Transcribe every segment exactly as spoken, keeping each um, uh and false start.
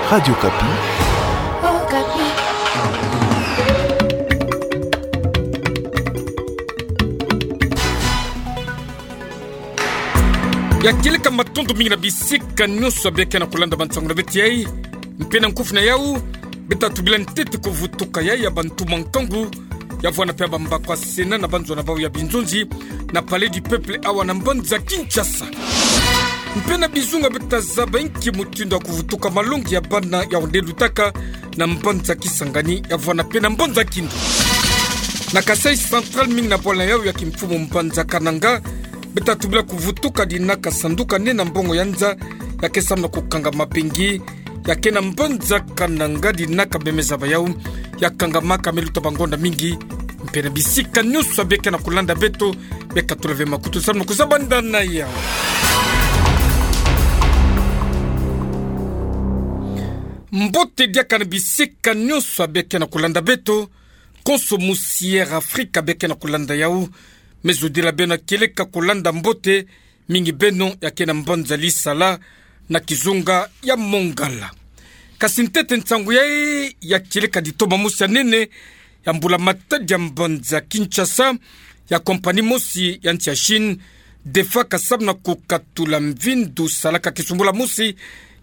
Radio Okapi. Ya kieleka matondo mingi na bisika nyonso ya bia ke na kulanda bansangu na beto yai. Mpe na nkufi na yau, beta tubila ntete kuvutuka yai ya bantumwa nkangu ya vwanda mpe bambaku ya Sénat na banzona bau ya binzonzi na Palais du Peuple awa na mbanza Kinshasa. Mpe na bizunga beta zaba inki mutindu ya kuvutuka malongi ya bana ya onde lutaka na mbanza Kisangani ya vwanda mpe na mbanza Kindu. Na Kasaï Central mingi na bwala yau ya kimfumu mbanza Kananga, beta tubila kuvutuka dinaka sanduka nene ya mbongo ya nza ya ke samu na kukanga mabengi ya ke na mbanza Kananga dinaka bemeza bayau ya kangamaka me luta bangonda mingi. Mpe na bisika nyonso ya bia ke na kulanda beto, beka tula ve makutu samu na kuzaba ndana yau. Mbote diaka na bisika nyonso ya bia ke na kulanda beto, konso musi Air Afrika bia ke na kulanda yau. Me zodila beno ya kieleka kulanda mbote, mingi beno ya ke na mbanza Lisala na kizunga ya Mongala. Kasi ntete nsangu yai ya kieleka ditoma mosi ya nene ya mbula-matadi ya mbanza Kinshasa, ya compagnie mosi ya nsi ya Chine, DEFA, ka samu na kukatula mvindu salaka kisumbula mosi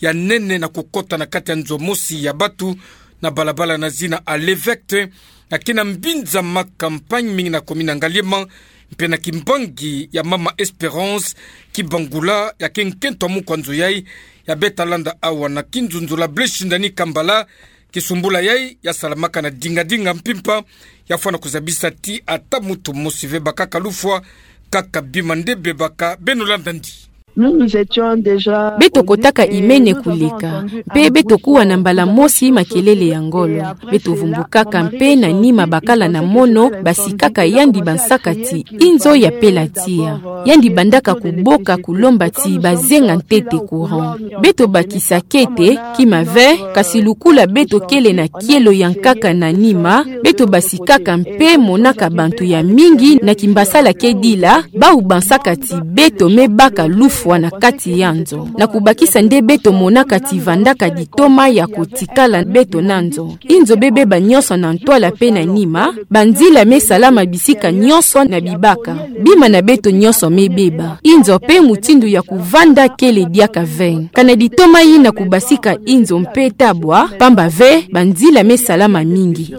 ya nene na kukota na kati ya nzo mosi ya batu na balabala na zina Allée Verte, ya ke na mbinza Ma Campagne mingi na commune ya Ngaliema, mpe na kimbangi ya Mama Espérance Kibangula, ya ke nkento ya mukwa nzo yai, ya beta landa awa na kinzunzula Blaise Shindani Kambala, kisumbula yai ya salamaka na dinga-dinga mpimpa, ya fwana kuzabisa ti ata mutu mosi ve bakaka lufwa, kaka bima nde bebaka. Beno landa ndi. Nous, nous étions déjà... Beto kotaka imene kuleka, mpe beto kuwa na mbala mosi makelele ya ngolo. Beto vumbukaka mpe na nima bakala na mono basikaka yandi bansaka ti inzo ya pela tiya. Yandi bandaka kuboka kulomba ti bazenga ntete courant. Beto bakisa kete kima ve, kasi lukula beto kele na kielo ya nkaka na nima, beto basikaka mpe monaka bantu ya mingi na kimbasala ke dila, bau bansaka ti beto me baka lufwa na kati ya nzo. Na kubakisa nde beto monaka ti vandaka ditoma ya kotikala beto na nzo. Inzo bebeba nyonso na ntwala mpe na nima, banzila me salama bisika nyonso na bibaka. Bima na beto nyonso me beba. Inzo mpe mutindu ya kuvanda kele diaka ve. Kana ditoma yina kubasika inzo mpe tabwa, pamba ve banzila me salama mingi.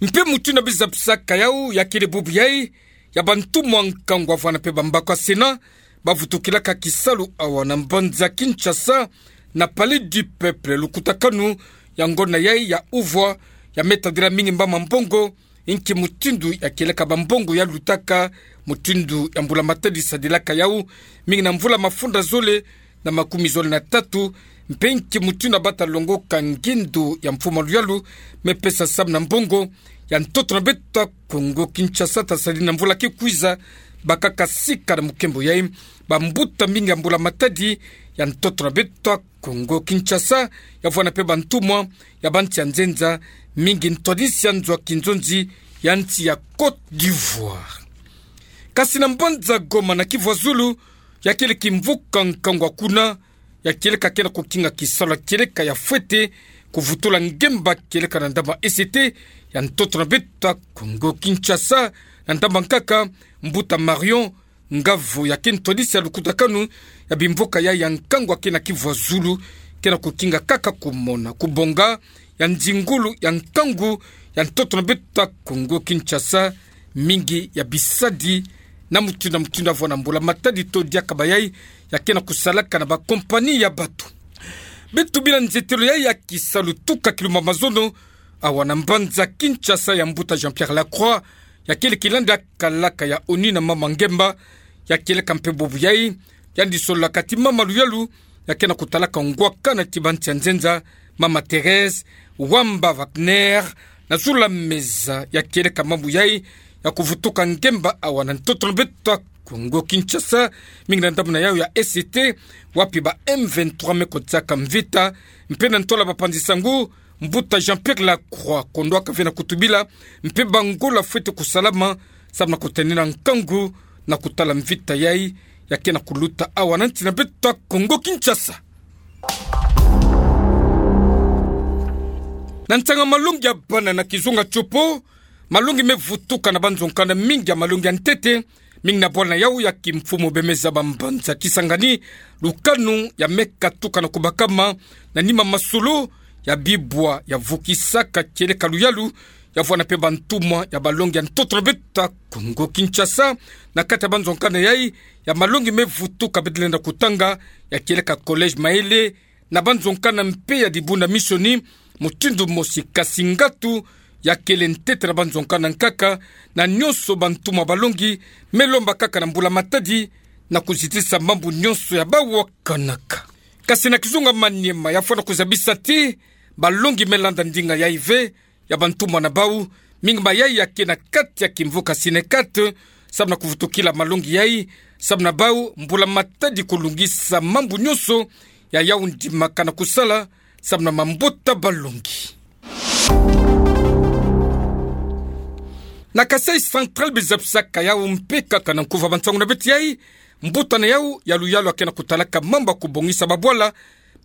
Mpe mutindu ya bizabisaka yau ya kele bubu yai, ya bantumwa nkangu ya vwanda mpe bambaku ya Sénat, bavutukilaka kisalu awa na mbanza Kinshasa, na Palais du Peuple, lukutakanu ya ngonda yai ya uvwa, ya me tadila mingi mba mambongo, inki mutindu ya kieleka bambongo ya lutaka, mutindu ya mbula-matadi sadilaka yau, mingi na mvula mafunda zole na makumi zole na tatu, mpe inki mutindu ya bata longoka ngindu ya mfumu ya luyalu me pesa samu na mbongo ya ntoto na beto ya Kongo Kinshasa, ta sadi na mvula ke kwiza, bakaka sika na mukembo yai bambuta mingi ya mbula-matadi ya ntoto na beto ya Kongo Kinshasa, ya vwanda mpe bantumwa ya bansi ya nzenza, mingi ntwadisi ya nzo ya kinzonzi ya nsi ya Côte d'Ivoire. Kasi na mbanza Goma na Kivu ya Zulu, ya kele kimvuka nkangu ya kuna, ya kieleka ke na kukinga kisalu ya kieleka ya fwete kuvutula ngemba kieleka na ndambu ya E C T ya ntoto na beto ya Kongo Kinshasa, na ndambu ya nkaka, mbuta Marion Ngavu, ya ke ntwadisi ya lukutakanu ya bimvuka yai ya nkangu ya ke na Kivu ya Zulu, ke na kukinga kaka kumona kubonga ya nzingulu ya nkangu ya ntoto na beto ya Kongo Kinshasa, mingi ya bisadi na mutindu na mutindu ya vwanda mbula-matadi to diaka bayai, ya ke na kusalaka na bakompani ya batu. Beto bila nzetelo yai ya kisalu tuka kilumbu ya mazono, awa na mbanza Kinshasa, ya mbuta Jean-Pierre Lacroix, ya kele kilandi ya kalaka ya ONU na mama ngemba, ya kieleka mpe bubu yai, yandi sololaka ti mama luyalu, ya ke na kutalaka ngwakana ti bansi ya nzenza, mama Thérèse Wamba Wagner, na zulu ya meza ya kieleka mambu yai ya kuvutuka ngemba awa na ntoto na beto ya Kongo Kinshasa, mingi na ndambu na yau ya E C T, wapi ba M vingt-trois me kotisaka mvita, mpe na ntwala bapanzi-nsangu, mbuta Jean-Pierre Lacroix kondwaka ve na kutubila mpe bangolo ya fwete kusalama, samu na kutenena nkangu na kutala mvita yai ya ke na kuluta awa na nsi na beto ya Kongo Kinshasa. Na nsanga malongi ya bana na kizunga tiopo, malongi me vutuka na banzo nkanda mingi ya malongi ya ntete, mingi na bwala na yau ya kimfumu bemeza ba mbanza Kisangani, lukanu ya me katuka na kubakama na nima masolo ya bibwa ya vukisaka kieleka luyalu, ya vwanda mpe bantumwa ya balongi ya ntoto na beto ya Kongo Kinshasa, na kati ya banzo nkanda yai ya malongi me vutuka beto lenda kutanga, ya kieleka Collège Maele, na banzo nkanda mpe ya dibundu ya misioni, mutindu mosi kasi ngatu ya kele ntete na banzo nkanda nkaka, na nionso bantumwa balongi me lomba kaka na mbula matadi na kuzitisa mambu nionso ya bau wakanaka. Kasi na kizunga Maniema ya fwana kuzabisa ti balongi me landa ndinga yai ve, ya bantumwa na bau, mingi mayai ya ke na kati ya kimvuka Synecat, samu na kuvutukila malongi yai, samu na bau mbula matadi kulungisa mambu nionso ya yau ndimaka na kusala, samu na mambota balongi. Na Kasaï Central, bizapisaka yau mpe kaka na nkuva bansangu na beto yai, mbuta na yau ya luyalu ya ke na kutalaka mambu ya kubongisa babwala,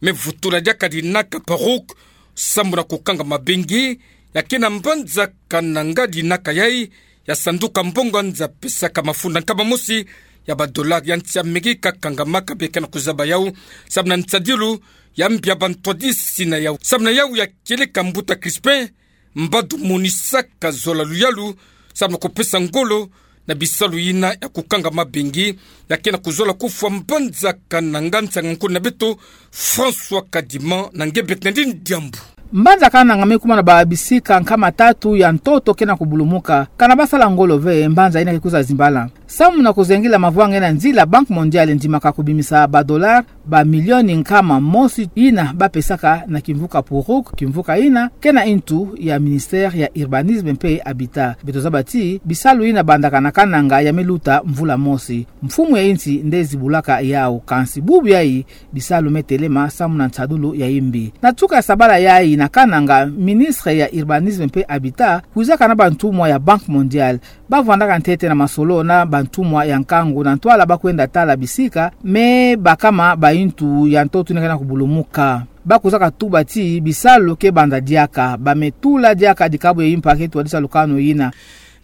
me vutula diaka dinaka perruque, samu na kukanga mabengi, ya ke na mbanza Kananga dinaka yai, ya sanduka mbongo nza pesaka mafunda nkama mosi ya ba dollars ya nsi Amerika, kangamaka beka na kuzaba yau, samu na nsadilu ya mbi ya bantwadisi na yau. Samu na yau ya kieleka mbuta Crispin, mbadu monisaka zola luyalu, samu na kupesa ngolo na bisalu yina ya kukanga mabengi, ya ke na kuzola kufwa mbanza Kananga, nsanga nkuna na beto François Kadima na nge beka na ndi diambu. Mbanza Kananga me kuma na ba bisika nkama tatu ya ntoto ke na kubulumuka. Kana basala ngolo ve, mbanza yina ke kwiza zimbala. Samu na kuzengila mavwanga yina nzila, Banque Mondiale ndimaka kubimisa ba dollars ba milioni nkama mosi yina bapesaka na kimvuka perruque, kimvuka yina ke na ntu ya ministère ya Urbanisme mpe Habitat. Beto zaba ti bisalu yina bandaka na Kananga ya me luta mvula mosi. Mfumu ya insi nde zibulaka yau, kansi bubu yai bisalu me telema samu na nsadulu ya imbi. Na tuka ya sabala yai na Kananga, ministre ya Urbanisme mpe Habitat kwizaka na bantumwa ya Banque Mondiale. Bavwandaka ntete na masolo na bantumwa ya nkangu na ntwala bakwenda tala bisika me bakama ba ntu ya ntoto yina ke na kubulumuka. Bakwizaka tuba ti bisalu ke banda diaka, ba me tula diaka dikabu ya impa ke twadisa lukanu yina.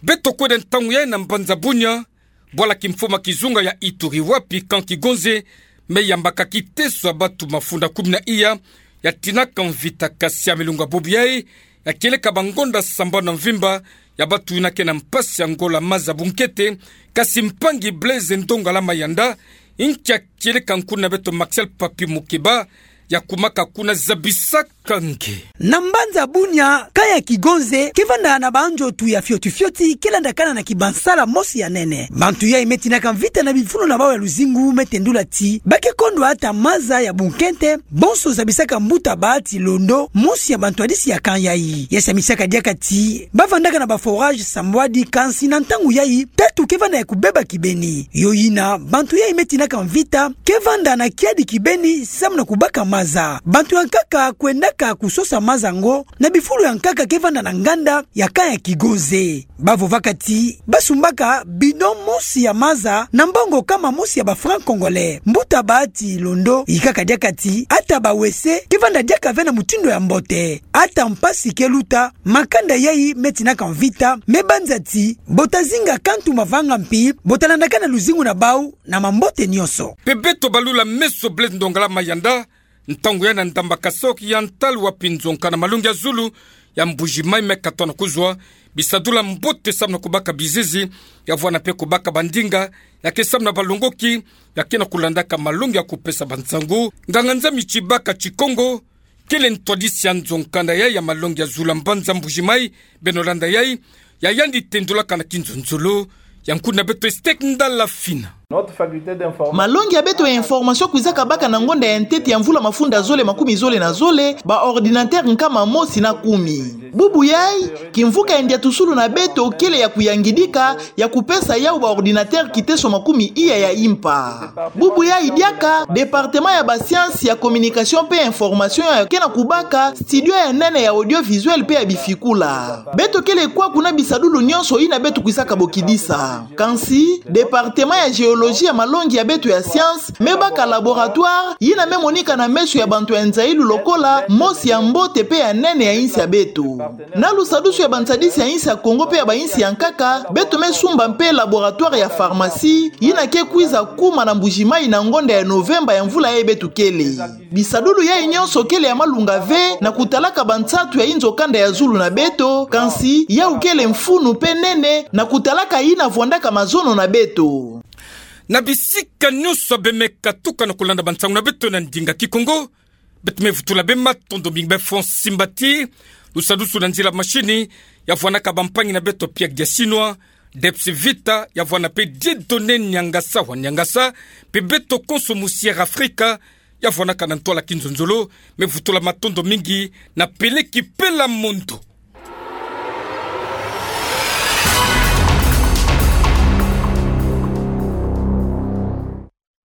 Beto kwenda ntangu yai na mbanza Bunia, bwala kimfumu ya kizunga ya Ituri, wapi camp Kigonze me yambaka kiteso ya batu mafunda kumi na iya ya tinaka mvita, kasi ya milunga bubu yai ya kieleka bangonda sambanu na mvimba ya batu yina ke na mpasi ya ngola maza bunkete, kasi mpangi Blaise Ndongala Mayanda, nkia kieleka nkuna na beto Martial Papi Mukeba, ya kumaka kuna, zabisaka nge. Na mbanza Bunia, camp ya Kigonze ke vanda na banzotu ya fioti fioti ke landakana na kibansala mosi ya nene. Bantu yai me tinaka mvita na bifulu na bau ya luzingu me tendula ti ba ke kondwa ata maza ya bunkete, bonso zabisaka mbuta Bahati Londo, mosi ya bantwadisi ya camp yai. Ya samisaka diaka ti bavandaka na ba forage Sambwadi, kansi na ntangu yai tatu ke vanda ya kubeba kibeni. Yo yina, bantu yai me tinaka mvita ke vanda na kiadi kibeni samu na kubaka maza. Bantu ya nkaka kwendaka kusosa maza yango na bifulu ya nkaka ke vanda na nganda ya camp ya Kigonze. Bavovaka ti basumbaka bidon mosi ya maza na mbongo kama mosi ya ba francs congolais. Mbuta Bahati Londo yikaka diaka ti ata ba wese ke vanda diaka ve na mutindu ya mbote. Ata mpasi ke luta, makanda yai me tinaka mvita me banza ti bota zinga kantu mavanga mpi bota landakana luzingu na bau na mambote nionso. Mpe beto balula meso Blaise Ndongala Mayanda, ntangu yai na Ndamba Kasaï Oriental, wapi nzo nkanda malongi ya zulu ya Mbuji-Mayi me katwa na kuzwa bisadula mbote samu na kubaka bizizi, ya vwanda mpe kubaka bandinga ya ke samu na balongoki ya ke na kulandaka malongi ya kupesa bansangu. Nganga-nzambi Tshibaka Tshikongo kele ntwadisi ya nzo nkanda yai ya malongi ya zulu ya mbanza Mbuji-Mayi, beno landa yai, ya yandi tendulaka na kinzonzolo ya nkuna na beto Estek Ndala Fina. Malongi ya beto ya information kwizaka baka na ngonda ya ntete ya mvula mafunda zole makumi zole na zole ba ordinateur nkama mosi na kumi. Bubu yai, kimvuka ya ndiatusulu na beto kele ya kuyangidika ya kupesa yau ba ordinateur kiteso makumi iya ya impa. Bubu yai diaka, département ya ba sciences ya communication mpe information ya ke na kubaka studio ya nene ya audiovisuel mpe ya bifikula. Beto kele kwaku na bisadulu nionso yina beto kwizaka bokidisa. Kansi, département ya géologie Teknolojia ya malongi ya beto ya science me baka laboratoire yina me monika na meso ya bantu ya nzayilu lokola mosi ya mbote pe ya nene ya insi ya beto. Na lusadusu ya bansadisi ya insi ya Kongo pe ya bainsi ya nkaka, beto me sumba mpe laboratoire ya pharmacie yina ke kwiza kuma na Mbuji-Mayi na ngonda ya Novemba ya mvula yayi beto kele. Bisadulu yayi nyonso kele ya malunga ve na kutalaka bansatu ya inzo kanda ya zulu na beto, kansi yawu kele mfunu pe nene na kutalaka yina vwandaka mazono na beto. Na bisika nyonso beno me katuka na kulanda bansangu na beto na ndinga Kikongo, beto me vutula beno matondo mingi. Beno fweti simba ti lusadusu na nzila mashini ya vwanaka bampangi na beto Pierre Giachinwa, Debs Vita, ya vwana pe Dieudonné Niangasa wa Niangasa, pe beto konso mu Sierra Africa, ya vwanaka na ntwala kinzonzolo, me vutula matondo mingi na Peleki Pela Mondo.